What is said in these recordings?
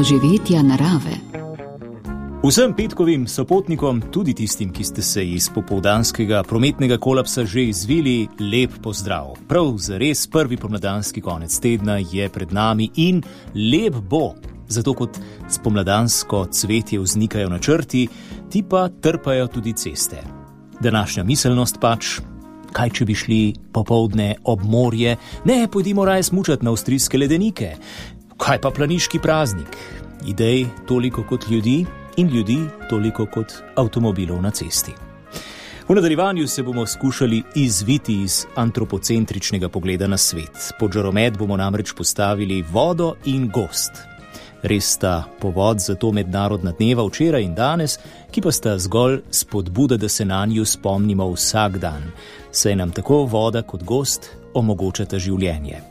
doživetja narave. Vsem petkovim sopotnikom, tudi tistim, ki ste se iz popoldanskega prometnega kolapsa že izvili, lep pozdrav. Prav zares prvi pomladanski konec tedna je pred nami in lep bo, zato kot spomladansko cvetje vznikajo načrti, ti pa trpajo tudi ceste. Današnja miselnost pač, kaj če bi šli popoldne ob morje, ne, pojdimo raje smučat na avstrijske ledenike. Kaj pa planiški praznik? Idej toliko kot ljudi in ljudi toliko kot avtomobilov na cesti. V nadaljevanju se bomo skušali izviti iz antropocentričnega pogleda na svet. Pod žaromet bomo namreč postavili vodo in gozd. Res sta povod za to mednarodna dneva včeraj in danes, ki pa sta zgolj spodbuda, da se nanju spomnimo vsak dan, saj nam tako voda kot gozd omogočata življenje.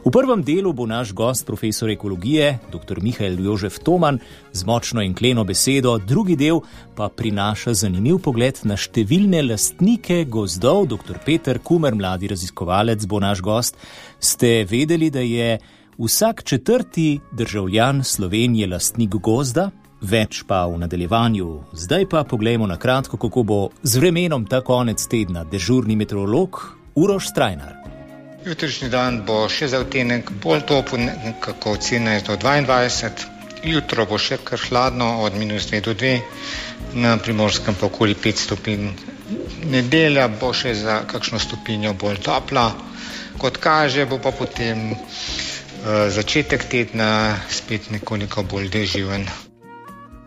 V prvem delu bo naš gost profesor ekologije, dr. Mihael Jožef Toman, z močno in kleno besedo, drugi del pa prinaša zanimiv pogled na številne lastnike gozdov. Dr. Peter Kumer, mladi raziskovalec, bo naš gost. Ste vedeli, da je vsak četrti državljan Slovenije lastnik gozda? Več pa v nadaljevanju. Zdaj pa poglejmo na kratko, kako bo z vremenom ta konec tedna dežurni meteorolog Uroš Strajnar. Jutrišnji dan bo še za odtenek bolj topel, nekako od 17 do 22. Jutro bo še kar hladno, od -2 do 2, na Primorskem pa okoli 5 stopinj. Nedelja bo še za kakšno stopinjo bolj topla. Kot kaže, bo pa potem začetek tedna spet nekoliko bolj deževen.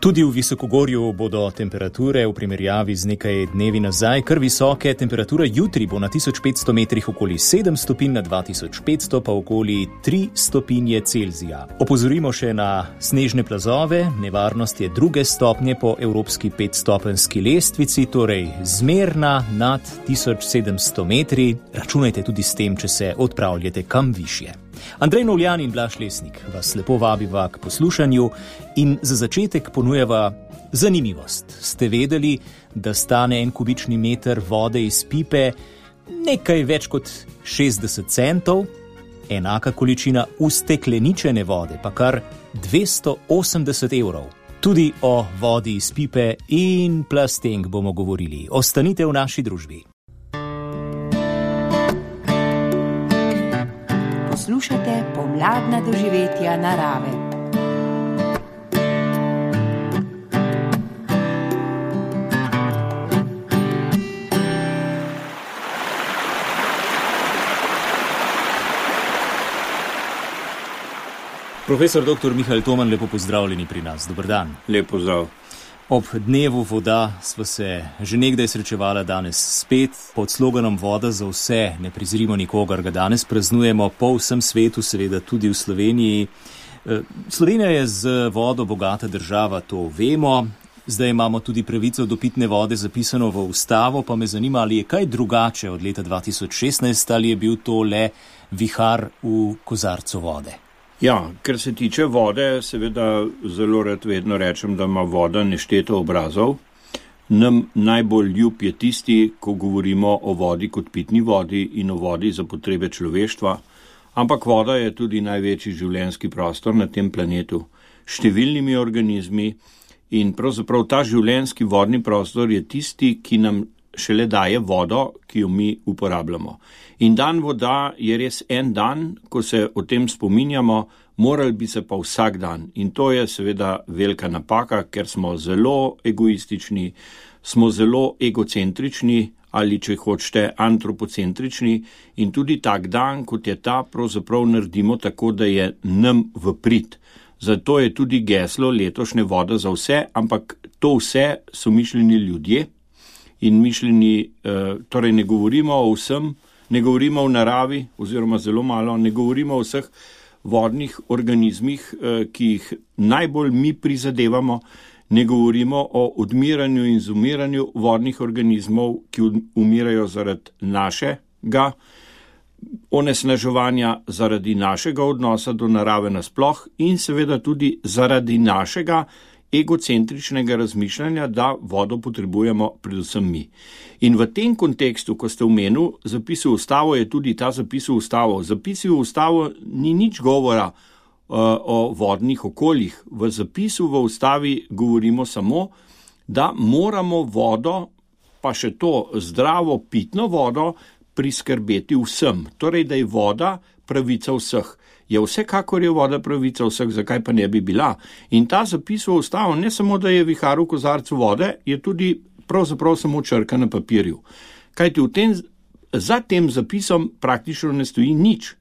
Tudi v Visokogorju bodo temperature v primerjavi z nekaj dnevi nazaj kar visoke. Temperatura jutri bo na 1500 metrih okoli 7 stopinj, na 2500 pa okoli 3 stopinje Celzija. Opozorimo še na snežne plazove. Nevarnost je 2. stopnje po evropski 5-stopenjski lestvici, torej zmerna nad 1700 metri. Računajte tudi s tem, če se odpravljate kam višje. Andrej Novljan in Blaž Lesnik vas lepo vabiva k poslušanju in za začetek ponujava zanimivost. Ste vedeli, da stane 1 kubični meter vode iz pipe nekaj več kot 60 centov, enaka količina ustekleničene vode pa kar 280 evrov. Tudi o vodi iz pipe in plastenk bomo govorili. Ostanite v naši družbi. Poslušate pomladna doživetja narave. Profesor dr. Mihael Toman, lepo pozdravljeni pri nas. Dober dan. Lep pozdrav. Ob dnevu voda sva se že nekdaj srečevala, danes spet. Pod sloganom Voda za vse ne prezirimo nikogar ga danes praznujemo po vsem svetu, seveda tudi v Sloveniji. Slovenija je z vodo bogata država, to vemo. Zdaj imamo tudi pravico do pitne vode zapisano v ustavo, pa me zanima, ali je kaj drugače od leta 2016, ali je bil to le vihar v kozarcu vode. Ja, ker se tiče vode, seveda zelo rad vedno rečem, da ima voda nešteto obrazov. Nam najbolj ljub je tisti, ko govorimo o vodi kot pitni vodi in o vodi za potrebe človeštva, ampak voda je tudi največji življenjski prostor na tem planetu, številnimi organizmi in pravzaprav ta življenjski vodni prostor je tisti, ki nam šele daje vodo, ki jo mi uporabljamo. In dan voda je res en dan, ko se o tem spominjamo, morali bi se pa vsak dan. In to je seveda velika napaka, ker smo zelo egoistični, smo zelo egocentrični ali, če hočete, antropocentrični in tudi tak dan, kot je ta, pravzaprav naredimo tako, da je nam v prid. Zato je tudi geslo letošnje Voda za vse, ampak to vse so mišljeni ljudje in mišljeni, torej ne govorimo o vsem, ne govorimo o naravi oziroma zelo malo, ne govorimo o vseh vodnih organizmih, ki jih najbolj mi prizadevamo, ne govorimo o odmiranju in izumiranju vodnih organizmov, ki umirajo zaradi našega onesnaževanja, zaradi našega odnosa do narave nasploh in seveda tudi zaradi našega egocentričnega razmišljanja, da vodo potrebujemo predvsem mi. In v tem kontekstu, ko ste omenili zapis v ustavo, je tudi ta zapis v ustavo. Zapisi v ustavo ni nič govora o vodnih okoljih. V zapisu v ustavi govorimo samo, da moramo vodo, pa še to zdravo pitno vodo, priskrbeti vsem. Torej, da je voda pravica vseh. Je vsekakor je voda pravica vseh, zakaj pa ne bi bila. In ta zapis v ustavo ne samo, da je vihar v kozarcu vode, je tudi pravzaprav samo črka na papirju. Kajti za tem zapisom praktično ne stoji nič.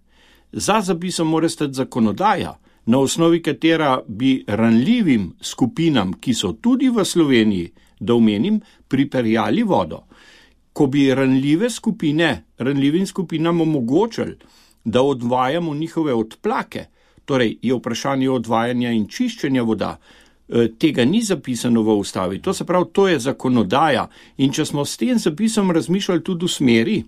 Za zapisom mora stati zakonodaja, na osnovi katera bi ranljivim skupinam, ki so tudi v Sloveniji, da omenim, pripeljali vodo. Ko bi ranljivim skupinam omogočili, da odvajamo njihove odplake, torej je vprašanje odvajanja in čiščenja voda, tega ni zapisano v ustavi. To se pravi, to je zakonodaja. In če smo s tem zapisom razmišljali tudi v smeri,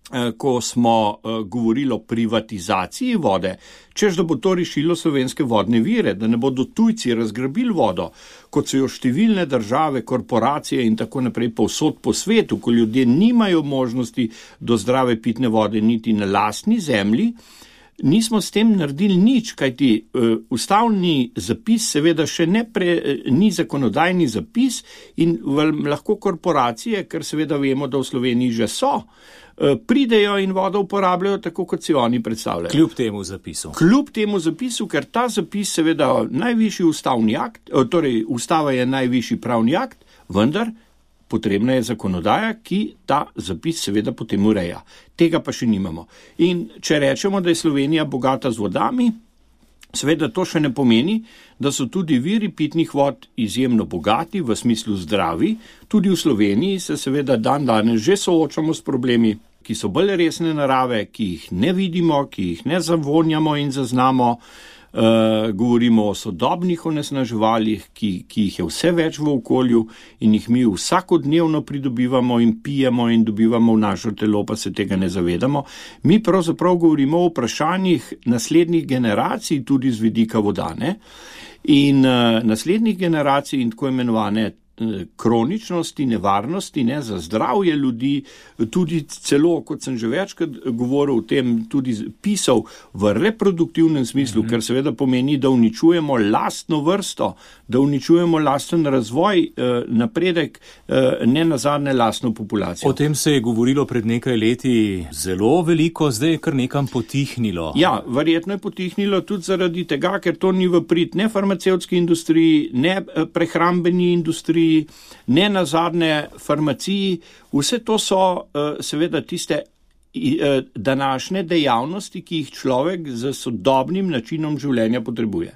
ko smo govorili o privatizaciji vode, češ da bo to rešilo slovenske vodne vire, da ne bodo tujci razgrabili vodo, kot so jo številne države, korporacije in tako naprej povsod po svetu, ko ljudje nimajo možnosti do zdrave pitne vode niti na lastni zemlji, nismo s tem naredili nič, kajti ustavni zapis seveda še ni zakonodajni zapis in lahko korporacije, ker seveda vemo, da v Sloveniji že so, pridejo in vodo uporabljajo tako, kot si oni predstavljajo. Kljub temu zapisu. Kljub temu zapisu, ker ta zapis seveda najvišji ustavni akt, torej ustava je najvišji pravni akt, vendar potrebna je zakonodaja, ki ta zapis seveda potem ureja. Tega pa še nimamo. In če rečemo, da je Slovenija bogata z vodami, seveda to še ne pomeni, da so tudi viri pitnih vod izjemno bogati, v smislu zdravi. Tudi v Sloveniji se seveda danes že soočamo s problemi, ki so bolj resne narave, ki jih ne vidimo, ki jih ne zavonjamo in zaznamo. Govorimo o sodobnih onesnaževalih, ki jih je vse več v okolju in jih mi vsakodnevno pridobivamo in pijemo in dobivamo v našo telo, pa se tega ne zavedamo. Mi pravzaprav govorimo o vprašanjih naslednjih generacij tudi z vidika vodane in naslednjih generacij in tako imenovane kroničnosti, nevarnosti za zdravje ljudi, tudi celo, kot sem že večkrat govoril o tem, tudi pisal v reproduktivnem smislu, ker seveda pomeni, da uničujemo lastno vrsto, da uničujemo lasten razvoj, napredek, ne nazadnje lastno populacijo. O tem se je govorilo pred nekaj leti zelo veliko, zdaj je kar nekam potihnilo. Ja, verjetno je potihnilo tudi zaradi tega, ker to ni v prid ne farmacevtski industriji, ne prehrambeni industriji, ne nazadnje farmaciji. Vse to so seveda tiste današnje dejavnosti, ki jih človek z sodobnim načinom življenja potrebuje.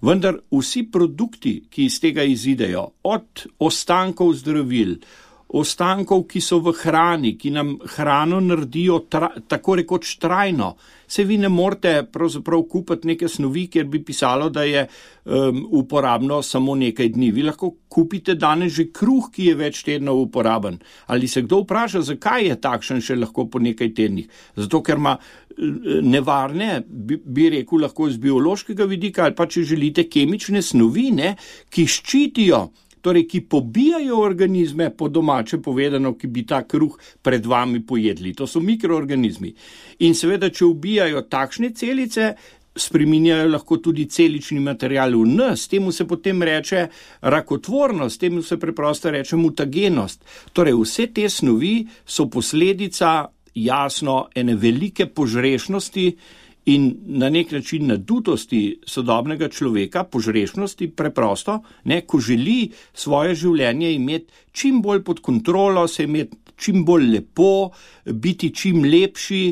Vendar vsi produkti, ki iz tega izidejo, od ostankov zdravil, ostankov, ki so v hrani, ki nam hrano naredijo tako rekoč trajno. Se vi ne morete pravzaprav kupiti neke snovi, kjer bi pisalo, da je uporabno samo nekaj dni. Vi lahko kupite danes že kruh, ki je več tednov uporaben. Ali se kdo vpraša, zakaj je takšen še lahko po nekaj tednih? Zato, ker ima nevarne, bi rekel lahko z biološkega vidika, ali pa če želite kemične snovi, ki ščitijo, torej ki pobijajo organizme, po domače povedano, ki bi ta kruh pred vami pojedli. To so mikroorganizmi. In seveda, če ubijajo takšne celice, spreminjajo lahko tudi celični material v nas. Temu se potem reče rakotvornost, temu se preprosto reče mutagenost. Torej, vse te snovi so posledica, jasno, ene velike požrešnosti in na nek način nadutosti sodobnega človeka, požrešnosti preprosto, ko želi svoje življenje imeti čim bolj pod kontrolo, se imeti čim bolj lepo, biti čim lepši,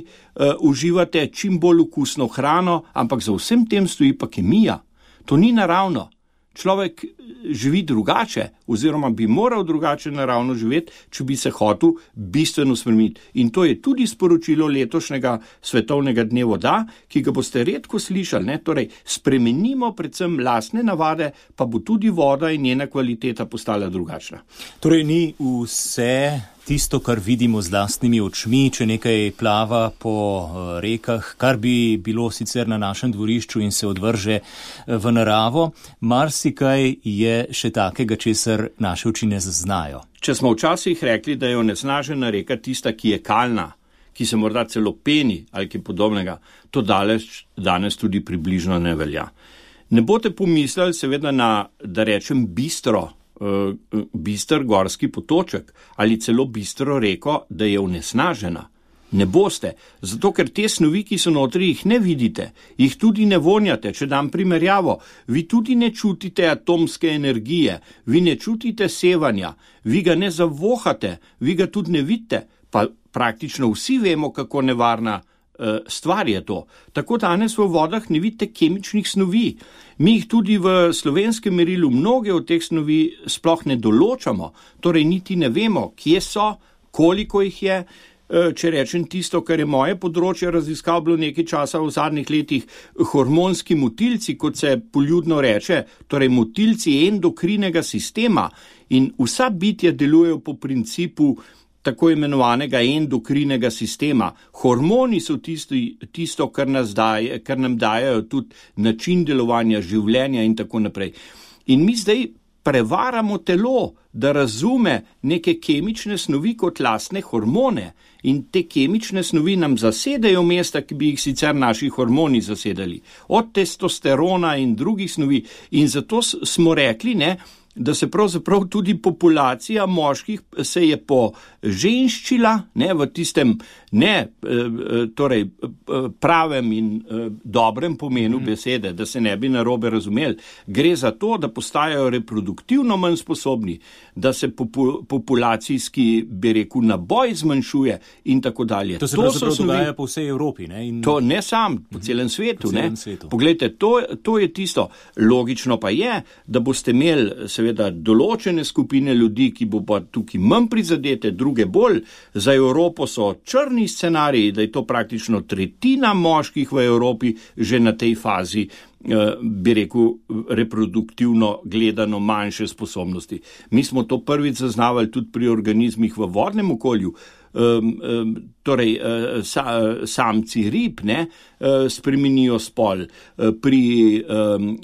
uživate čim bolj okusno hrano, ampak za vsem tem stoji pa kemija. To ni naravno. Človek živi drugače, oziroma bi moral drugače naravno živeti, če bi se hotel bistveno spremeniti. In to je tudi sporočilo letošnjega svetovnega dne voda, ki ga boste redko slišali. Torej, spremenimo predvsem lastne navade, pa bo tudi voda in njena kvaliteta postala drugačna. Torej, ni vse tisto, kar vidimo z lastnimi očmi, če nekaj plava po rekah, kar bi bilo sicer na našem dvorišču in se odvrže v naravo, marsikaj je še takega, česar naše oči ne zaznajo. Če smo včasih rekli, da je onesnažena reka tista, ki je kalna, ki se morda celo peni ali kaj podobnega, to danes tudi približno ne velja. Ne boste pomislili seveda na, da rečem, bister gorski potoček ali celo bistro reko, da je onesnažena. Ne boste, zato ker te snovi, ki so notri, jih ne vidite, jih tudi ne vonjate. Če dam primerjavo, vi tudi ne čutite atomske energije, vi ne čutite sevanja, vi ga ne zavohate, vi ga tudi ne vidite, pa praktično vsi vemo, kako nevarna stvar je to. Tako danes v vodah ne vidite kemičnih snovi. Mi jih tudi v slovenskem merilu mnoge od teh snovi sploh ne določamo, torej niti ne vemo, kje so, koliko jih je. Če rečem tisto, kar je moje področje raziskav bilo nekaj časa v zadnjih letih, hormonski motilci, kot se poljudno reče, torej motilci endokrinega sistema, in vsa bitja delujejo po principu tako imenovanega endokrinega sistema. Hormoni so tisto, kar nam dajejo tudi način delovanja življenja in tako naprej. In mi zdaj prevaramo telo, da razume neke kemične snovi kot lastne hormone, in te kemične snovi nam zasedajo mesta, ki bi jih sicer naši hormoni zasedali, od testosterona in drugih snovi. In zato smo rekli, da se pravzaprav tudi populacija moških se je poženščila, v tistem torej pravem in dobrem pomenu besede, da se ne bi narobe razumeli. Gre za to, da postajajo reproduktivno manj sposobni, da se populacijski, bi rekel, naboj zmanjšuje in tako dalje. To se pravzaprav dogaja po vsej Evropi. To ne sam, po celem svetu. Poglejte, to je tisto. Logično pa je, da boste imeli seveda določene skupine ljudi, ki bo pa tukaj manj prizadete, druge bolj. Za Evropo so črni scenariji, da je to praktično tretjina moških v Evropi že na tej fazi, bi rekel, reproduktivno gledano manjše sposobnosti. Mi smo to prvič zaznavali tudi pri organizmih v vodnem okolju. Torej, samci rib spremenijo spol. Pri,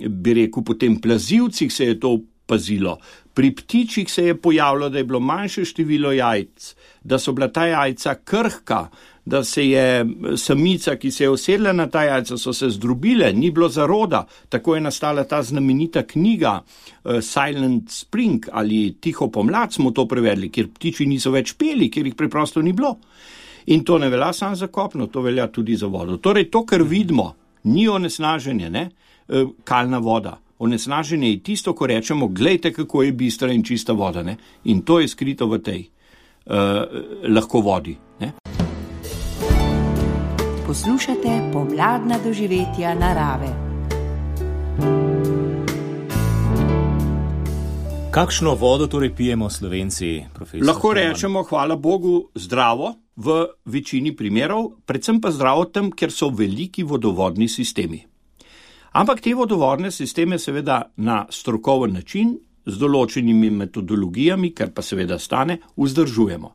bi rekel, potem plazivcih se je to pazilo. Pri ptičih se je pojavilo, da je bilo manjše število jajc, da so bila ta jajca krhka, da se je samica, ki se je usedla na ta jajca, so se zdrobile, ni bilo zaroda. Tako je nastala ta znamenita knjiga Silent Spring ali Tiho pomlad smo to prevedli, kjer ptiči niso več peli, kjer jih preprosto ni bilo. In to ne velja samo za kopno, to velja tudi za vodo. Torej to, kar vidimo, ni onesnaženje, kalna voda. Onesnaženje je tisto, ko rečemo, glejte, kako je bistra in čista voda. In to je skrito v tej lahko vodi. Poslušate pomladna doživetja narave. Kakšno vodo torej pijemo Slovenci, profesor? Lahko rečemo, hvala Bogu, zdravo v večini primerov, predvsem pa zdravo tam, ker so veliki vodovodni sistemi. Ampak te vodovodne sisteme seveda na strokoven način, z določenimi metodologijami, kar pa seveda stane, vzdržujemo.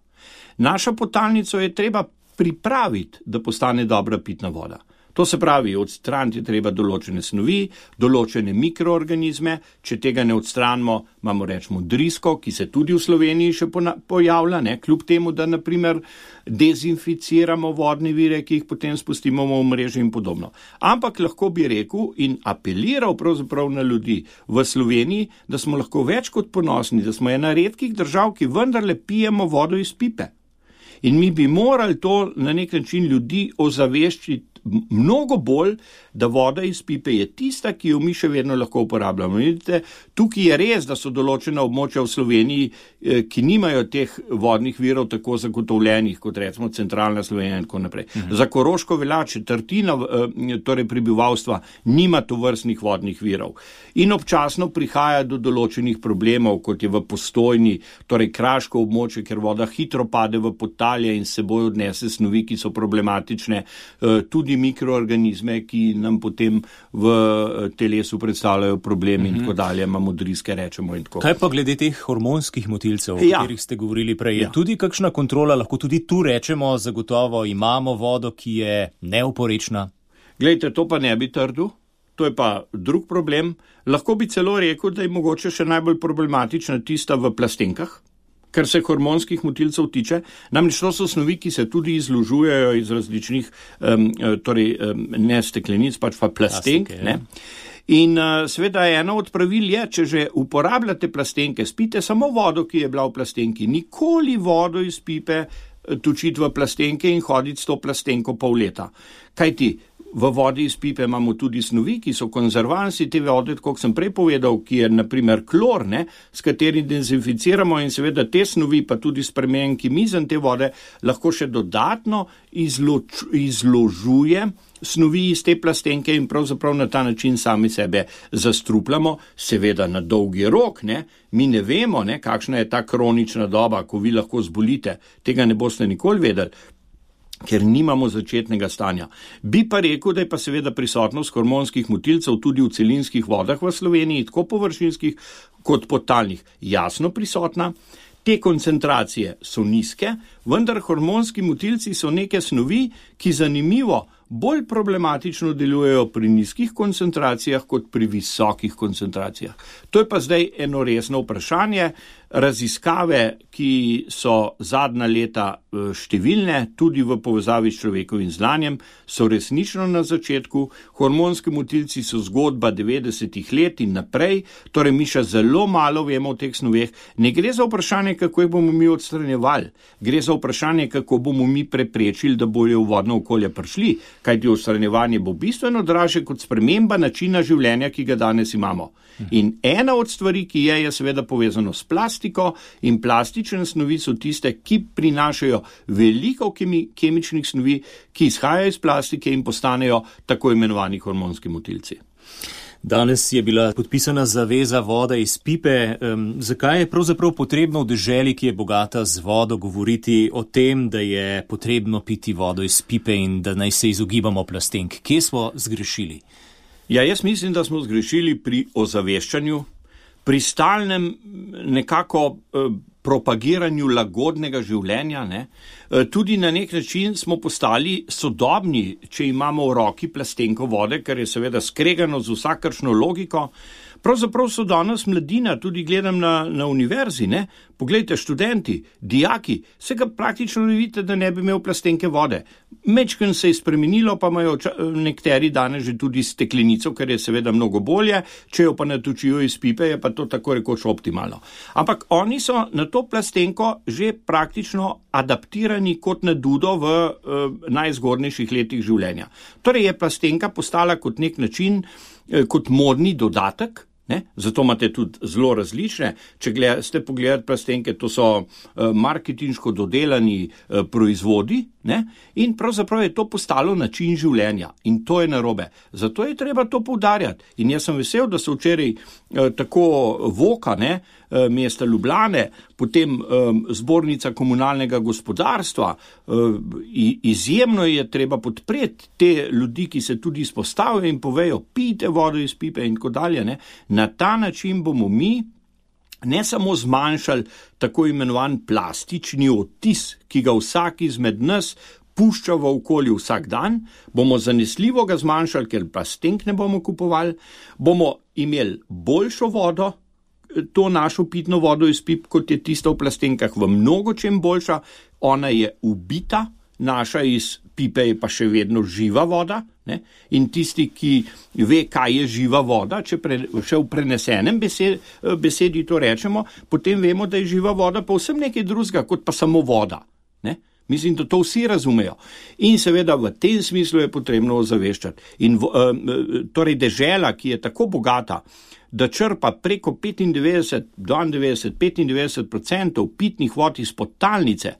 Našo podtalnico je treba pripraviti, da postane dobra pitna voda. To se pravi, odstraniti je treba določene snovi, določene mikroorganizme, če tega ne odstranimo, imamo rečemo drisko, ki se tudi v Sloveniji še pojavlja, kljub temu, da naprimer dezinficiramo vodne vire, ki jih potem spustimo v mreže in podobno. Ampak lahko bi rekel in apeliral pravzaprav na ljudi v Sloveniji, da smo lahko več kot ponosni, da smo ena redkih držav, ki vendarle pijemo vodo iz pipe. In mi bi morali to na nek način ljudi ozaveščiti mnogo bolj, da voda iz pipe je tista, ki jo mi še vedno lahko uporabljamo. Vidite, tukaj je res, da so določena območja v Sloveniji, ki nimajo teh vodnih virov tako zagotovljenih, kot recimo centralna Slovenija in tako naprej. Za Koroško velja četrtina torej prebivalstva nima tovrstnih vodnih virov. In občasno prihaja do določenih problemov, kot je v Postojni, torej kraško območje, ker voda hitro pade v podtalje in s seboj odnese snovi, ki so problematične, tudi mikroorganizme, ki nam potem v telesu predstavljajo problem in tako dalje, imamo driske, rečemo in tako. Kaj pa glede teh hormonskih motilcev, o katerih ste govorili prej? Je tudi kakšna kontrola, lahko tudi tu rečemo, zagotovo imamo vodo, ki je neoporečna? Glejte, to pa ne bi trdil, to je pa drug problem. Lahko bi celo rekel, da je mogoče še najbolj problematična tista v plastenkah, kar se hormonskih motilcev tiče. Namreč to so snovi, ki se tudi izložujejo iz različnih, ne steklenic, pač pa plastenk. Ne? In seveda eno od pravil je, če že uporabljate plastenke, spite samo vodo, ki je bila v plastenki. Nikoli vodo iz pipe točiti v plastenke in hoditi s to plastenko pol leta. Kajti v vodi iz pipe imamo tudi snovi, ki so konzervansi te vode, kot sem prej povedal, ki je naprimer klor, s katerim dezinficiramo in seveda te snovi, pa tudi spremenjen kimizen te vode, lahko še dodatno izložuje snovi iz te plastenke in pravzaprav na ta način sami sebe zastrupljamo, seveda na dolgi rok, Mi ne vemo, kakšna je ta kronična doba, ko vi lahko zbolite, tega ne boste nikoli vedeli, ker nimamo začetnega stanja. Bi pa rekel, da je pa seveda prisotnost hormonskih motilcev tudi v celinskih vodah v Sloveniji, tako površinskih kot podtalnih, jasno prisotna. Te koncentracije so nizke, vendar hormonski motilci so neke snovi, ki zanimivo bolj problematično delujejo pri nizkih koncentracijah kot pri visokih koncentracijah. To je pa zdaj eno resno vprašanje. Raziskave, ki so zadnja leta številne, tudi v povezavi s človekovim znanjem, so resnično na začetku. Hormonski motilci so zgodba 90-ih let in naprej, torej mi še zelo malo vemo o teh snoveh. Ne gre za vprašanje, kako jih bomo mi odstranjevali, gre za vprašanje, kako bomo mi preprečili, da bojo v vodno okolje prišli, kajti odstranjevanje bo bistveno dražje kot sprememba načina življenja, ki ga danes imamo. In ena od stvari, ki je seveda povezano s plastiko, in plastične snovi so tiste, ki prinašajo veliko kemičnih snovi, ki izhajajo iz plastike in postanejo tako imenovani hormonski motilci. Danes je bila podpisana zaveza voda iz pipe. Zakaj je pravzaprav potrebno v deželi, ki je bogata z vodo, govoriti o tem, da je potrebno piti vodo iz pipe in da naj se izogibamo plastenk? Kje smo zgrešili? Ja, jaz mislim, da smo zgrešili pri ozaveščanju, pri stalnem nekako propagiranju lagodnega življenja. Tudi na nek način smo postali sodobni, če imamo v roki plastenko vode, kar je seveda skregano z vsakršno logiko. Pravzaprav so danes mladina, tudi gledam na univerzi, Poglejte, študenti, dijaki, se ga praktično ne vidite, da ne bi imel plastenke vode. Mečken se je spremenilo, pa imajo nekateri danes že tudi steklenico, kar je seveda mnogo bolje, če jo pa natočijo iz pipe, je pa to tako rekoč optimalno. Ampak oni so na to plastenko že praktično adaptirani kot na dudo v najzgodnejših letih življenja. Torej je plastenka postala kot nek način, kot modni dodatek. Zato imate tudi zelo različne. Če ste pogledali plastenke, to so marketinško dodelani proizvodi, in pravzaprav je to postalo način življenja in to je narobe. Zato je treba to poudarjati. In jaz sem vesel, da so včeraj tako Voka, mesta Ljubljane, potem zbornica komunalnega gospodarstva, izjemno je treba podpreti te ljudi, ki se tudi izpostavijo in povejo, pijte vodo iz pipe in tako dalje. Na ta način bomo mi ne samo zmanjšali tako imenovan plastični odtis, ki ga vsak izmed nas pušča v okolju vsak dan, bomo zanesljivo ga zmanjšali, ker plastenk ne bomo kupovali, bomo imeli boljšo vodo, to našo pitno vodo iz pip, kot je tista v plastenkah, v mnogo čem boljša, ona je ubita, naša iz pipe je pa še vedno živa voda, in tisti, ki ve, kaj je živa voda, če še v prenesenem besedi to rečemo, potem vemo, da je živa voda pa vsem nekaj drugega, kot pa samo voda. Mislim, da to vsi razumejo. In seveda v tem smislu je potrebno ozaveščati. In torej dežela, ki je tako bogata, da črpa preko 95% pitnih vod iz podtalnice,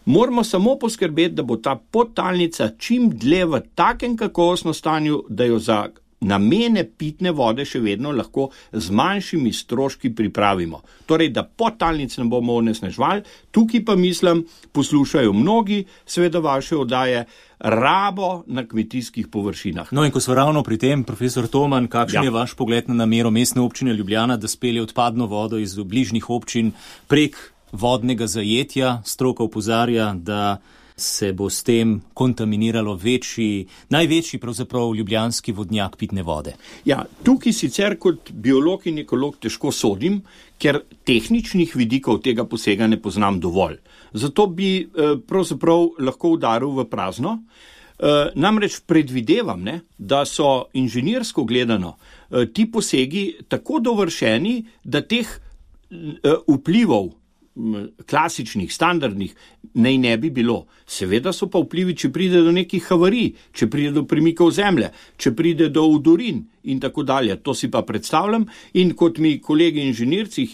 moramo samo poskrbeti, da bo ta podtalnica čim dlje v takem kakovostnem stanju, da jo za namene pitne vode še vedno lahko z manjšimi stroški pripravimo. Torej, da podtalnic ne bomo onesnaževali. Tukaj pa mislim, poslušajo mnogi, seveda vaše oddaje, rabo na kmetijskih površinah. No in ko smo ravno pri tem, profesor Toman, kakšen je vaš pogled na namero Mestne občine Ljubljana, da spelje odpadno vodo iz bližnjih občin prek vodnega zajetja? Stroka opozarja, da se bo s tem kontaminiralo največji pravzaprav ljubljanski vodnjak pitne vode. Ja, tukaj sicer kot biolog in ekolog težko sodim, ker tehničnih vidikov tega posega ne poznam dovolj. Zato bi pravzaprav lahko udaril v prazno. Namreč predvidevam, da so inženirsko gledano ti posegi tako dovršeni, da teh vplivov klasičnih, standardnih naj ne bi bilo. Seveda so pa vplivi, če pride do nekih havarij, če pride do premikov zemlje, če pride do udorin in tako dalje. To si pa predstavljam in kot mi kolegi inženirci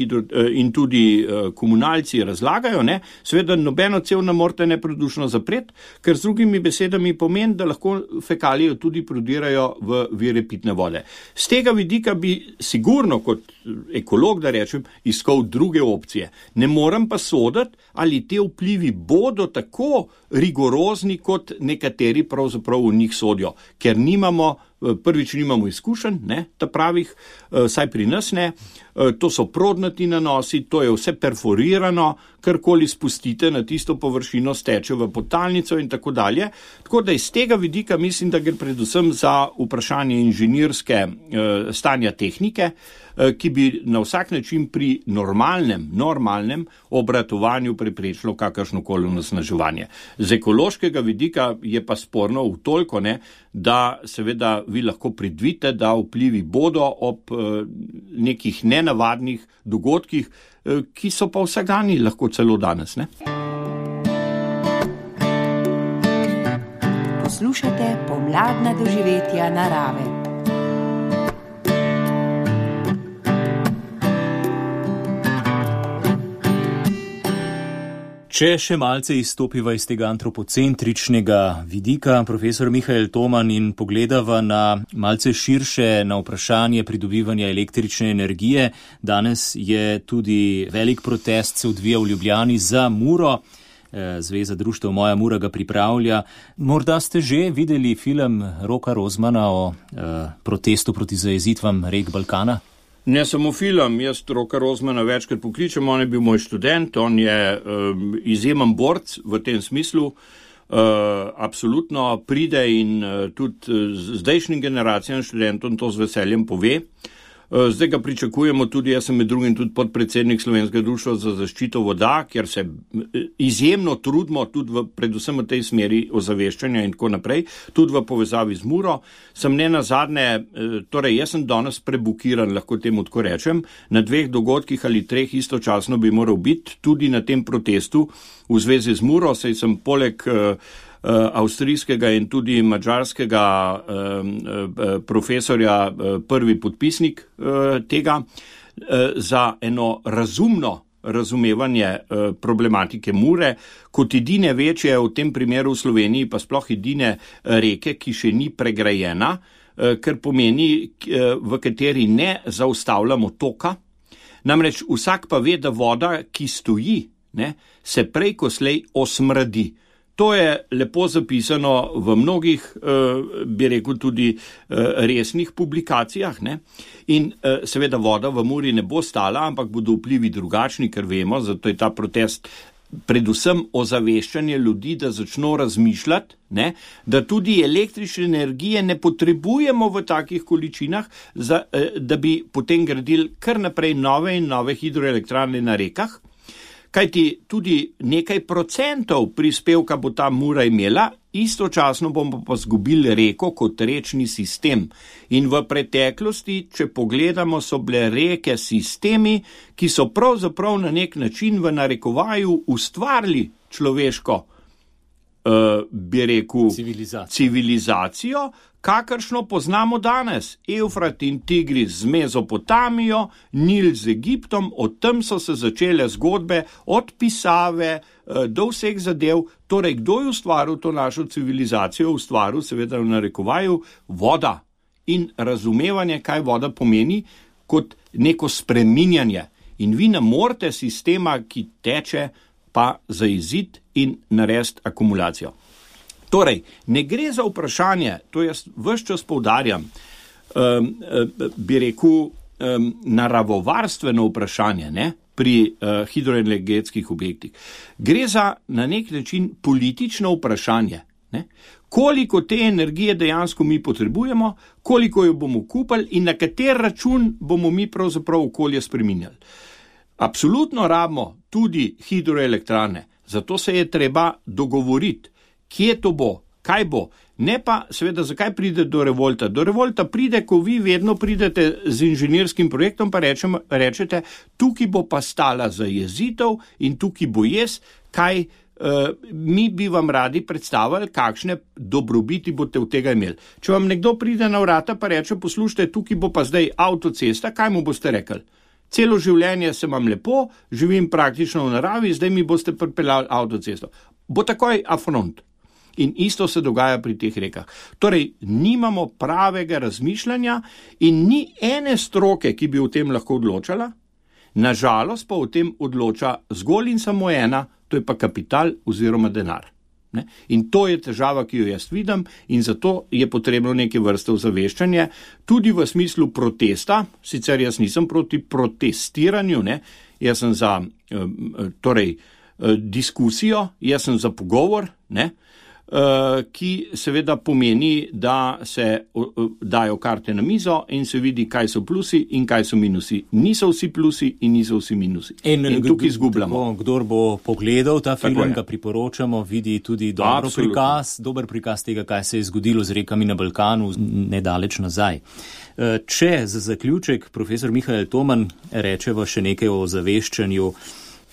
in tudi komunalci razlagajo, seveda nobeno cev ne morete nepredušno zapreti, ker z drugimi besedami pomeni, da lahko fekalije tudi prodirajo v vire pitne vode. Z tega vidika bi sigurno kot ekolog, da rečem, iskal druge opcije. Ne moram pa soditi, ali te vplivi bodo tako rigorozni, kot nekateri pravzaprav v njih sodijo, ker prvič nimamo izkušenj, ta pravih, saj pri nas ne, to so prodnati nanosi, to je vse perforirano, karkoli spustite na tisto površino, steče v podtalnico in tako dalje. Tako da iz tega vidika mislim, da gre predvsem za vprašanje inženirske stanja tehnike, ki bi na vsak način pri normalnem obratovanju preprečilo kakršnokoli onesnaževanje. Z ekološkega vidika je pa sporno v toliko, da seveda vi lahko predvidite, da vplivi bodo ob nekih nenavadnih dogodkih, ki so pa vsakdanji, lahko celo danes. Poslušate pomladna doživetja narave. Če še malce izstopiva iz tega antropocentričnega vidika, profesor Mihael Toman, in pogledava na malce širše na vprašanje pridobivanja električne energije, danes je tudi velik protest se odvija v Ljubljani za Muro. Zveza društev Moja Mura ga pripravlja. Morda ste že videli film Roka Rozmana o protestu proti zajezitvam rek Balkana? Ne samo film, jaz Roka Rozmana večkrat pokličem, on je bil moj študent, on je izjemen borc v tem smislu, absolutno pride in tudi zdajšnjim generacijam študentom to z veseljem pove. Zdaj ga pričakujemo tudi, jaz sem med drugim tudi podpredsednik Slovenskega društva za zaščito voda, kjer se izjemno trudimo tudi predvsem v tej smeri ozaveščanja in tako naprej, tudi v povezavi z Muro. Sem nenazadnje, torej jaz sem danes prebukiran, lahko temu tako rečem, na 2 dogodkih ali 3 istočasno bi moral biti tudi na tem protestu v zvezi z Muro, saj sem poleg avstrijskega in tudi madžarskega profesorja prvi podpisnik tega za eno razumno razumevanje problematike Mure, kot edine večje v tem primeru v Sloveniji, pa sploh edine reke, ki še ni pregrajena, kar pomeni, v kateri ne zaustavljamo toka. Namreč vsak pa ve, da voda, ki stoji, se prej ko slej osmrdi. To je lepo zapisano v mnogih, bi rekel, tudi resnih publikacijah. In seveda voda v Muri ne bo stala, ampak bodo vplivi drugačni, ker vemo, zato je ta protest predvsem ozaveščanje ljudi, da začno razmišljati, da tudi električne energije ne potrebujemo v takih količinah, da bi potem gradili kar naprej nove in nove hidroelektrarne na rekah. Kajti tudi nekaj procentov prispevka bo ta Mura imela, istočasno bomo pa zgubili reko kot rečni sistem. In v preteklosti, če pogledamo, so bile reke sistemi, ki so pravzaprav na nek način v narekovaju ustvarili človeško, bi rekel, civilizacijo, kakršno poznamo danes. Evfrat in Tigris z Mezopotamijo, Nil z Egiptom, od tam so se začele zgodbe, od pisave do vseh zadev. Torej, kdo je ustvaril to našo civilizacijo? Ustvaril, seveda v narekovaju, voda in razumevanje, kaj voda pomeni kot neko spreminjanje. In vi ne morete sistema, ki teče, pa zaiziti in narediti akumulacijo. Torej, ne gre za vprašanje, to jaz ves čas poudarjam, bi rekel, naravovarstveno vprašanje, ne, pri hidroenergetskih objektih. Gre za na nek način politično vprašanje, ne, koliko te energije dejansko mi potrebujemo, koliko jo bomo kupili in na kater račun bomo mi pravzaprav okolje spreminjali. Absolutno rabimo tudi hidroelektrane, zato se je treba dogovoriti, kje to bo, kaj bo. Ne pa, seveda, zakaj pride do revolta? Do revolta pride, ko vi vedno pridete z inženirskim projektom, pa rečete, tukaj bo pa stala zajezitev in tukaj bo kaj mi bi vam radi predstavili, kakšne dobrobiti boste od tega imeli. Če vam nekdo pride na vrata, pa reče, poslušajte, tukaj bo pa zdaj avtocesta, kaj mu boste rekli? Celo življenje se vam lepo, živim praktično v naravi, zdaj mi boste pripeljali avtocesto. Bo takoj afront. In isto se dogaja pri teh rekah. Torej, nimamo pravega razmišljanja in ni ene stroke, ki bi o tem lahko odločala, nažalost pa o tem odloča zgolj in samo ena, to je pa kapital oziroma denar. Ne? In to je težava, ki jo jaz vidim in zato je potrebno neke vrste ozaveščanje, tudi v smislu protesta, sicer jaz nisem proti protestiranju, ne? Jaz sem za diskusijo, jaz sem za pogovor, ne? Ki seveda pomeni, da se dajo karte na mizo in se vidi, kaj so plusi in kaj so minusi. Niso vsi plusi in niso vsi minusi. In tukaj izgubljamo. Kdor bo pogledal ta film, ga priporočamo, vidi tudi dober prikaz tega, kaj se je zgodilo z rekami na Balkanu nedaleč nazaj. Če za zaključek profesor Mihael Toman rečeva še nekaj o zaveščanju.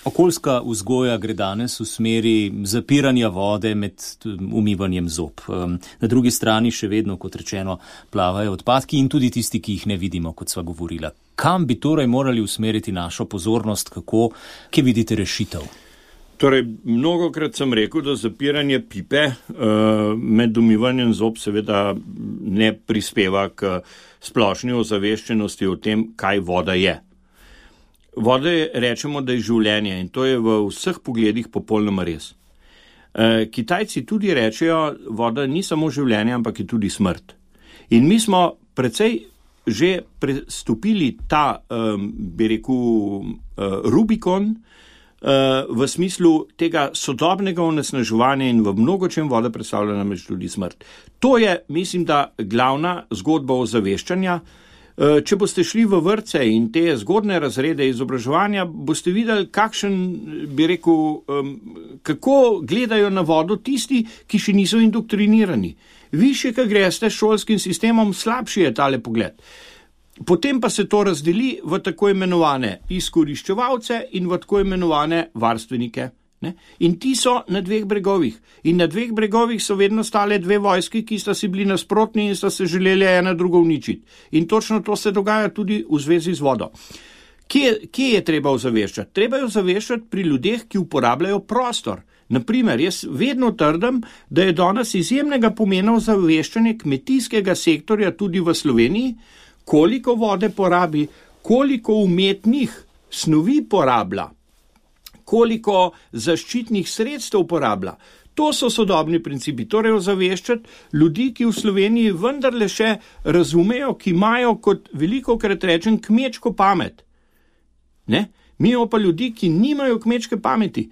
Okoljska vzgoja gre danes v smeri zapiranja vode med umivanjem zob. Na drugi strani še vedno, kot rečeno, plavajo odpadki in tudi tisti, ki jih ne vidimo, kot sva govorila. Kam bi torej morali usmeriti našo pozornost, kje vidite rešitev? Torej, mnogokrat sem rekel, da zapiranje pipe med umivanjem zob seveda ne prispeva k splošni ozaveščenosti o tem, kaj voda je. Voda rečemo, da je življenje in to je v vseh pogledih popolnoma res. Kitajci tudi rečejo, voda ni samo življenje, ampak je tudi smrt. In mi smo precej že prestopili ta, Rubikon v smislu tega sodobnega onesnaževanja in v mnogočem voda predstavlja namreč tudi smrt. To je, mislim, da glavna zgodba ozaveščanja. Če boste šli v vrtce in te zgodne razrede izobraževanja, boste videli, kako gledajo na vodo tisti, ki še niso indoktrinirani. Više, ko greste s šolskim sistemom, slabši je tale pogled. Potem pa se to razdeli v tako imenovane izkoriščevalce in v tako imenovane varstvenike. Ne? In ti so na dveh bregovih. In na dveh bregovih so vedno stale dve vojski, ki sta si bili nasprotni in sta se želeli ena drugo uničiti. In točno to se dogaja tudi v zvezi z vodo. Kje je treba ozaveščati? Treba je ozaveščati pri ljudeh, ki uporabljajo prostor. Naprimer, jaz vedno trdim, da je danes izjemnega pomena ozaveščanje kmetijskega sektorja tudi v Sloveniji, koliko vode porabi, koliko umetnih snovi porablja, koliko zaščitnih sredstev uporablja. To so sodobni principi, torej ozaveščati ljudi, ki v Sloveniji vendarle še razumejo, ki imajo, kot velikokrat rečem, kmečko pamet. Ne? Mi imamo pa ljudi, ki nimajo kmečke pameti.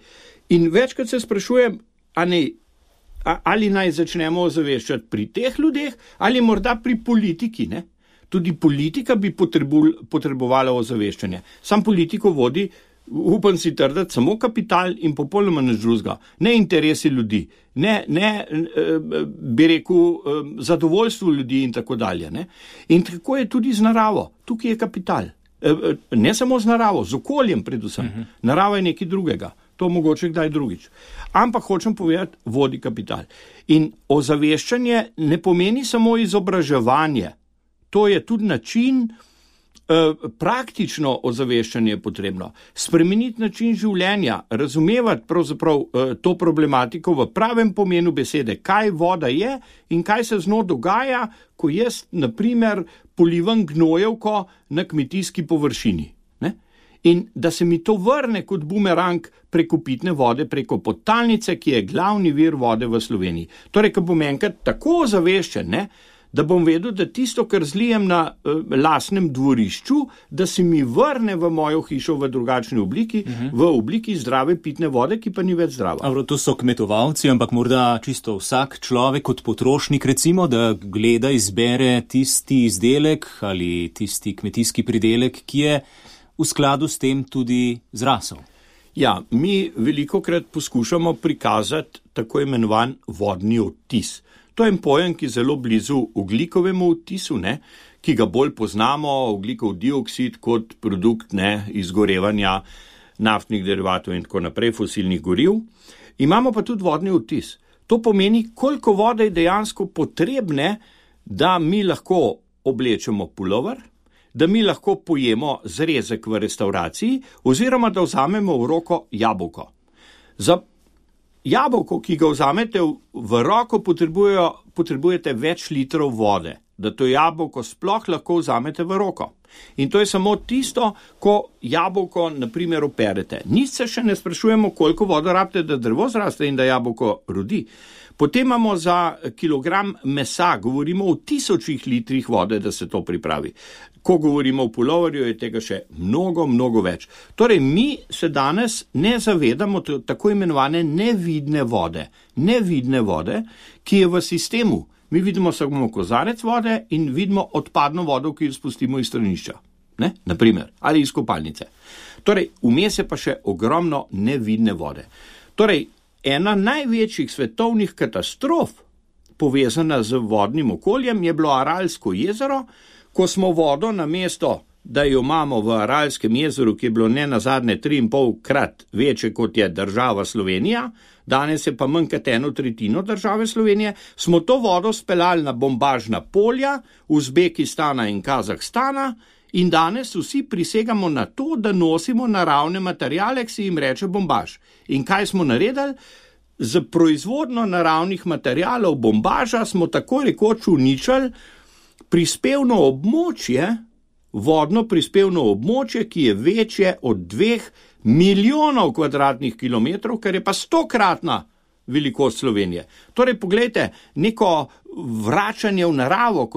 In večkrat se sprašujem, ali naj začnemo ozaveščati pri teh ljudeh, ali morda pri politiki, ne? Tudi politika bi potrebovala ozaveščanje. Sam politiko vodi, upam si trditi, samo kapital in popolnoma nič drugega. Ne interesi ljudi, ne bi rekel zadovoljstvo ljudi in tako dalje. Ne? In tako je tudi z naravo. Tukaj je kapital. Ne samo z naravo, z okoljem predvsem. Narava je nekaj drugega. To mogoče kdaj drugič. Ampak hočem povedati, vodi kapital. In ozaveščanje ne pomeni samo izobraževanje. To je tudi način, praktično ozaveščanje je potrebno. Spremeniti način življenja, razumevati pravzaprav to problematiko v pravem pomenu besede, kaj voda je in kaj se z njo dogaja, ko jaz, na primer, polivam gnojevko na kmetijski površini. Ne? In da se mi to vrne kot bumerang preko pitne vode, preko podtalnice, ki je glavni vir vode v Sloveniji. Torej, ko bom enkrat tako ozaveščen, ne, da bom vedel, da tisto, kar zlijem na lastnem dvorišču, da se mi vrne v mojo hišo v drugačni obliki, v obliki zdrave pitne vode, ki pa ni več zdrava. To so kmetovalci, ampak morda čisto vsak človek kot potrošnik, recimo, da gleda, izbere tisti izdelek ali tisti kmetijski pridelek, ki je v skladu s tem tudi zrasel. Ja, mi velikokrat poskušamo prikazati tako imenovan vodni odtis. To je en pojem, ki je zelo blizu ogljikovemu odtisu, ki ga bolj poznamo, ogljikov dioksid kot produkt izgorevanja naftnih derivatov in tako naprej, fosilnih goriv. Imamo pa tudi vodni odtis. To pomeni, koliko vode je dejansko potrebne, da mi lahko oblečemo pulover, da mi lahko pojemo zrezek v restavraciji oziroma da vzamemo v roko jabolko. Za jabolko, ki ga vzamete v roko, potrebujete več litrov vode, da to jabolko sploh lahko vzamete v roko. In to je samo tisto, ko jabolko, naprimer, operete. Nič se še ne sprašujemo, koliko vode rabite, da drevo zraste in da jabolko rodi. Potem imamo za kilogram mesa, govorimo o 1000 litrih vode, da se to pripravi. Ko govorimo o puloverju, je tega še mnogo, mnogo več. Torej, mi se danes ne zavedamo tako imenovane nevidne vode. Nevidne vode, ki je v sistemu. Mi vidimo samo kozarec vode in vidimo odpadno vodo, ki jo spustimo iz stranišča. Naprimer, ali iz kopalnice. Torej, vmes je pa še ogromno nevidne vode. Torej, ena največjih svetovnih katastrof, povezana z vodnim okoljem, je bilo Aralsko jezero, ko smo vodo namesto, da jo imamo v Aralskem jezeru, ki je bilo nenazadnje 3,5-krat večje kot je država Slovenija, danes je pa manj kot 1/3 države Slovenije, smo to vodo speljali na bombažna polja Uzbekistana in Kazahstana in danes vsi prisegamo na to, da nosimo naravne materiale, ki se jim reče bombaž. In kaj smo naredili? Z proizvodno naravnih materialov bombaža smo tako rekoč uničili prispevno območje, vodno prispevno območje, ki je večje od 2 milijonov kvadratnih kilometrov, kar je pa 100-kratna velikost Slovenije. Torej, poglejte, neko vračanje v naravo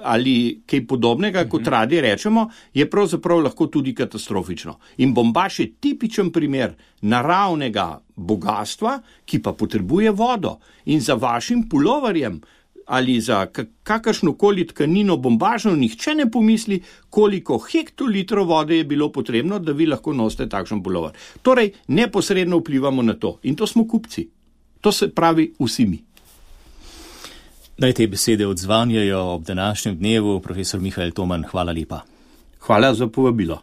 ali kaj podobnega, kot radi rečemo, je pravzaprav lahko tudi katastrofično. In bombaž je tipičen primer naravnega bogastva, ki pa potrebuje vodo. In za vašim puloverjem ali za kakršnokoli tkanino bombažno nihče ne pomisli, koliko hektolitrov vode je bilo potrebno, da vi lahko nosite takšen pulover. Torej, neposredno vplivamo na to. In to smo kupci. To se pravi vsi mi. Naj te besede odzvanjajo ob današnjem dnevu. Profesor Mihael Toman, hvala lepa. Hvala za povabilo.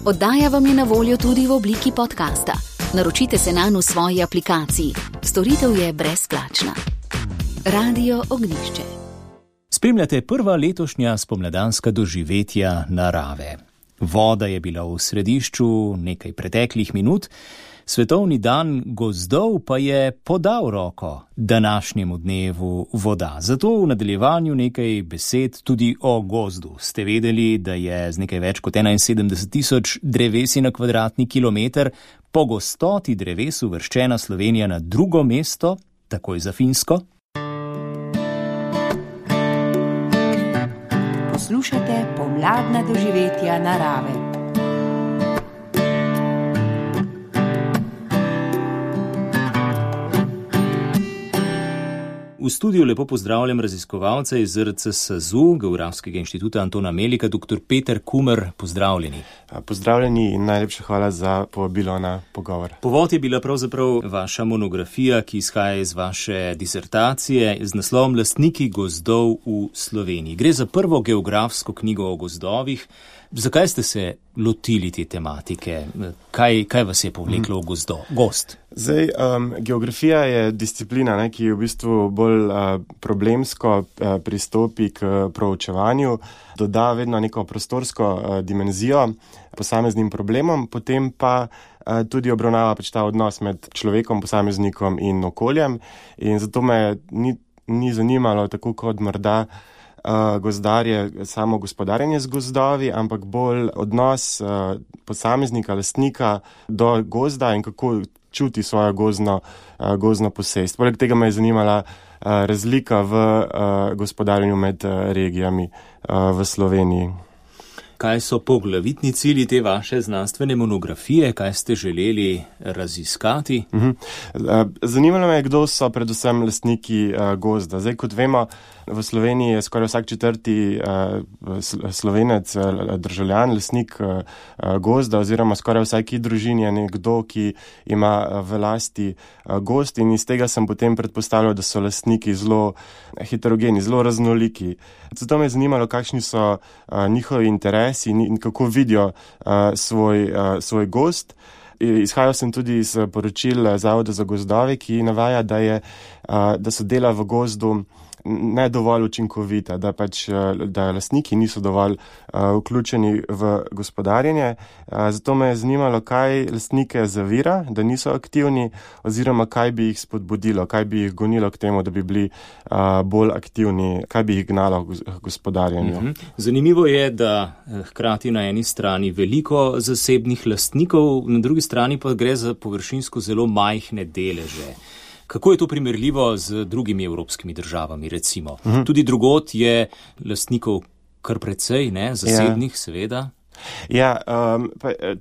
Oddaja vam je na voljo tudi v obliki podcasta. Naročite se nanj v svoji aplikaciji. Storitev je brezplačna. Radio Ognjišče. Spremljate prva letošnja spomladanska doživetja narave. Voda je bila v središču nekaj preteklih minut, Svetovni dan gozdov pa je podal roko današnjemu dnevu voda. Zato v nadaljevanju nekaj besed tudi o gozdu. Ste vedeli, da je z nekaj več kot 71.000 drevesi na kvadratni kilometer po gostoti dreves uvrščena Slovenija na drugo mesto, takoj za Finsko? Poslušate pomladna doživetja narave. V studiu lepo pozdravljam raziskovalca iz ZRC SAZU, Geografskega inštituta Antona Melika, dr. Peter Kumer, pozdravljeni. Pozdravljeni in najlepša hvala za povabilo na pogovor. Povod je bila pravzaprav vaša monografija, ki izhaja iz vaše disertacije z naslovom Lastniki gozdov v Sloveniji. Gre za prvo geografsko knjigo o gozdovih. Zakaj ste se lotili te tematike? Kaj vas je povleklo v gozd? Zdaj, geografija je disciplina, ki v bistvu bolj problemsko pristopi k proučevanju, doda vedno neko prostorsko dimenzijo posameznim problemom, potem pa tudi obravnava ta odnos med človekom, posameznikom in okoljem. In zato me ni zanimalo, tako kot morda gozdarje, samo gospodarjenje z gozdovi, ampak bolj odnos posameznika, lastnika do gozda in kako čuti svojo gozdno posest. Poleg tega me je zanimala razlika v gospodarjenju med regijami v Sloveniji. Kaj so poglavitni cilji te vaše znanstvene monografije, kaj ste želeli raziskati? Zanimalo me je, kdo so predvsem lastniki gozda. Zdaj, kot vemo, v Sloveniji je skoraj vsak četrti Slovenec, državljan, lastnik gozda, oziroma skoraj vsaki družini je nekdo, ki ima v lasti gozd, in iz tega sem potem predpostavljal, da so lastniki zelo heterogeni, zelo raznoliki. Zato me je zanimalo, kakšni so njihovi interesi in kako vidijo svoj gozd. Izhajal sem tudi iz poročil Zavoda za gozdove, ki navaja, da so dela v gozdu ne dovolj učinkovita, da lastniki niso dovolj vključeni v gospodarjenje. Zato me je zanimalo, kaj lastnike zavira, da niso aktivni, oziroma kaj bi jih spodbudilo, kaj bi jih gonilo k temu, da bi bili bolj aktivni, kaj bi jih gnalo k gospodarjenju. Zanimivo je, da hkrati na eni strani veliko zasebnih lastnikov, na drugi strani pa gre za površinsko zelo majhne deleže. Kako je to primerljivo z drugimi evropskimi državami, recimo? Tudi drugod je lastnikov kar precej, ne? Zasebnih, seveda. Ja,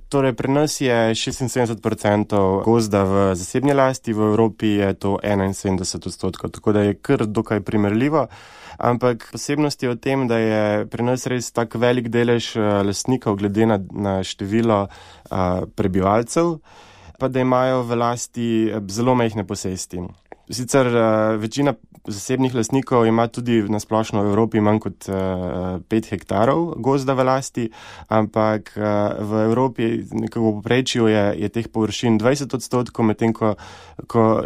torej pri nas je 76% gozda v zasebni lasti, v Evropi je to 71%, tako da je kar dokaj primerljivo. Ampak posebnost je v tem, da je pri nas res tak velik delež lastnikov glede na število prebivalcev, pa da imajo v lasti zelo majhne posesti. Sicer večina zasebnih lastnikov ima tudi na splošno v Evropi manj kot 5 hektarov gozda v lasti, ampak v Evropi nekako poprečju je teh površin 20%, medtem ko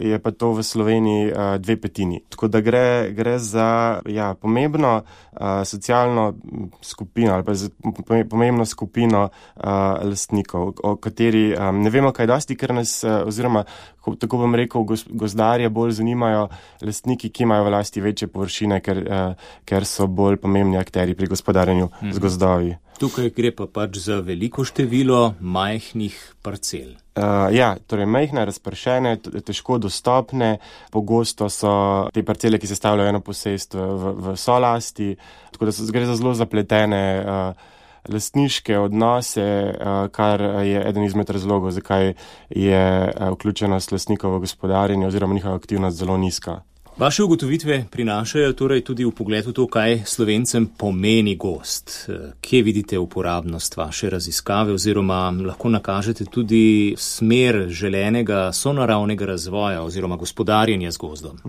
je pa to v Sloveniji 2/5. Tako da gre za pomembno socialno skupino ali pa pomembno skupino lastnikov, o kateri ne vemo kaj dosti, ker nas, oziroma tako bom rekel, gozdarje bolj zanimajo lastniki, ki imajo v lasti večje površine, ker so bolj pomembni akterji pri gospodarjenju z gozdovi. Tukaj gre pa pač za veliko število majhnih parcel. Torej majhne, razpršene, težko dostopne, pogosto so te parcele, ki sestavljajo eno posest v solasti, tako da gre za zelo zapletene lastniške odnose, kar je eden izmed razlogov, zakaj je vključenost lastnikov v gospodarjenje oziroma njihova aktivnost zelo nizka. Vaše ugotovitve prinašajo torej tudi v pogled v to, kaj Slovencem pomeni gozd. Kje vidite uporabnost vaše raziskave oziroma lahko nakažete tudi smer želenega sonaravnega razvoja oziroma gospodarjenja z gozdom?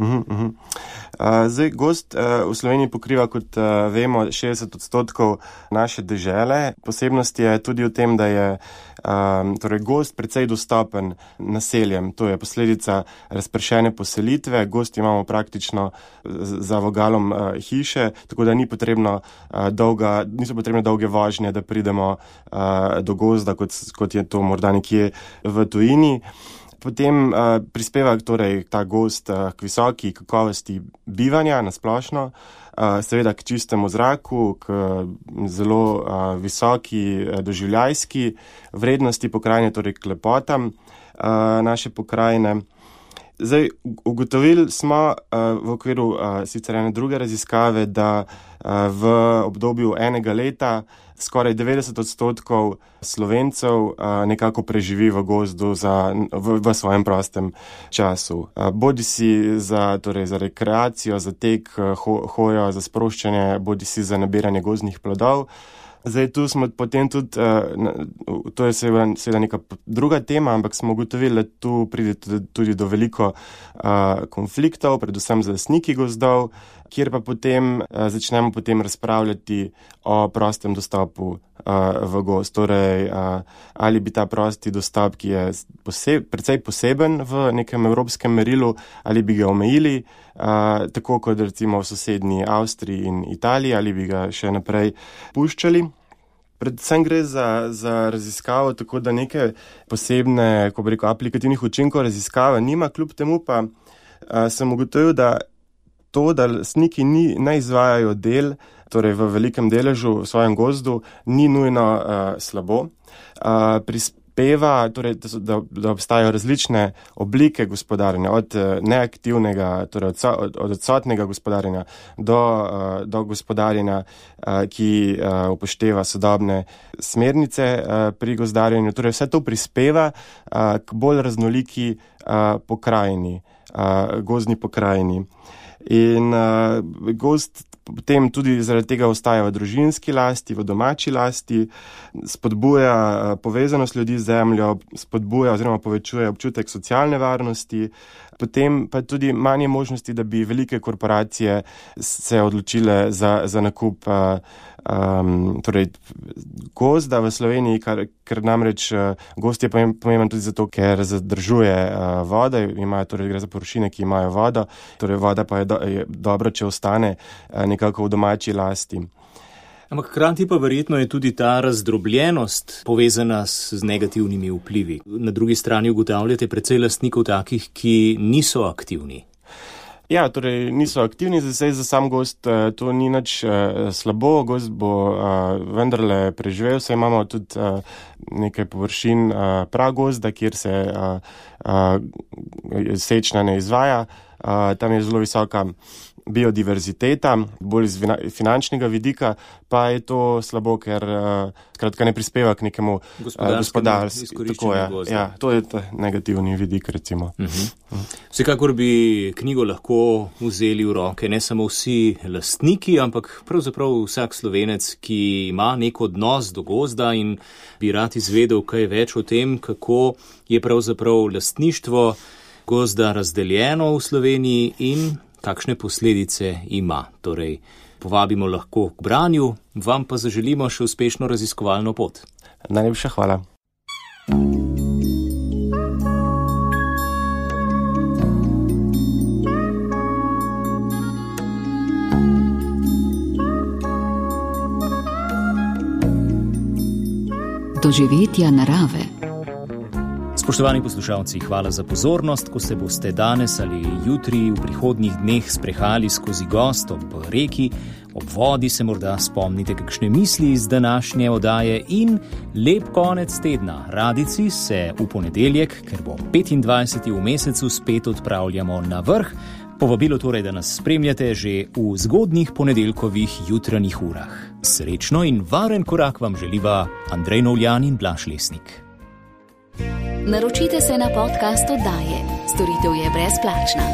Zdaj, gozd v Sloveniji pokriva, kot vemo, 60% naše dežele. Posebnost je tudi v tem, da je gozd precej dostopen naseljem. To je posledica razpršene poselitve. Gozd imamo praktično za vogalom hiše, tako da niso potrebne dolge vožnje, da pridemo do gozda, kot je to morda nekje v tujini. Potem prispeva torej ta gozd k visoki kakovosti bivanja na splošno, seveda k čistemu zraku, k zelo visoki doživljajski vrednosti pokrajine, torej k lepotam naše pokrajine. Zdaj, ugotovili smo v okviru sicer ene druge raziskave, da v obdobju enega leta skoraj 90% Slovencev nekako preživi v gozdu v svojem prostem času. Bodisi za rekreacijo, za tek, hojo, za sproščanje, bodisi za nabiranje gozdnih plodov. Zdaj, tu smo potem tudi, to je seveda neka druga tema, ampak smo ugotovili, da tu pride tudi do veliko konfliktov, predvsem z lastniki gozdov, kjer pa potem začnemo razpravljati o prostem dostopu v gozd. Torej, ali bi ta prosti dostop, ki je precej poseben v nekem evropskem merilu, ali bi ga omejili, tako kot recimo v sosednji Avstriji in Italiji, ali bi ga še naprej puščali. Predvsem gre za raziskavo, tako da neke posebne, ko bi rekel, aplikativnih učinkov raziskava nima, kljub temu pa sem ugotovil, da to, da lastniki ne izvajajo del, torej v velikem deležu v svojem gozdu, ni nujno slabo. Prispeva, torej, da obstajajo različne oblike gospodarjenja, od neaktivnega, torej od odsotnega gospodarjenja do gospodarjenja, ki upošteva sodobne smernice pri gozdarjenju. Torej, vse to prispeva k bolj raznoliki pokrajini, gozdni pokrajini. In gozd potem tudi zaradi tega ostaja v družinski lasti, v domači lasti, spodbuja povezanost ljudi z zemljo, spodbuja oziroma povečuje občutek socialne varnosti, potem pa tudi manje možnosti, da bi velike korporacije se odločile za nakup torej gozda v Sloveniji, ker namreč gozd je pomemben tudi zato, ker zadržuje vodo, torej gre za površine, ki imajo vodo, torej voda pa je dobra, če ostane nekako v domači lasti. Ampak hkrati pa verjetno je tudi ta razdrobljenost povezana z negativnimi vplivi. Na drugi strani ugotavljate precej lastnikov takih, ki niso aktivni. Ja, torej niso aktivni, zdaj za sam gozd to ni nič slabo, gozd bo vendarle preživel, saj imamo tudi nekaj površin pragozda, kjer se sečnja ne izvaja, tam je zelo visoka biodiverziteta, bolj iz finančnega vidika, pa je to slabo, ker skratka ne prispeva k nekemu gospodarstvu. Ja, to je negativni vidik, recimo. Vsekakor bi knjigo lahko vzeli v roke ne samo vsi lastniki, ampak pravzaprav vsak Slovenec, ki ima nek odnos do gozda in bi rad izvedel kaj več o tem, kako je pravzaprav lastništvo gozda razdeljeno v Sloveniji in kakšne posledice ima. Torej, povabimo lahko k branju, vam pa zaželimo še uspešno raziskovalno pot. Najlepša hvala. Doživetja narave. Spoštovani poslušalci, hvala za pozornost. Ko se boste danes ali jutri v prihodnjih dneh sprehajali skozi gozd ob reki, ob vodi, se morda spomnite kakšne misli iz današnje oddaje in lep konec tedna. Radijci se v ponedeljek, ker bo 25. v mesecu, spet odpravljamo na vrh. Povabilo torej, da nas spremljate že v zgodnjih ponedeljkovih jutranjih urah. Srečno in varen korak vam želiva Andrej Novljan in Blaž Lesnik. Naročite se na podcast oddaje. Storitev je brezplačna.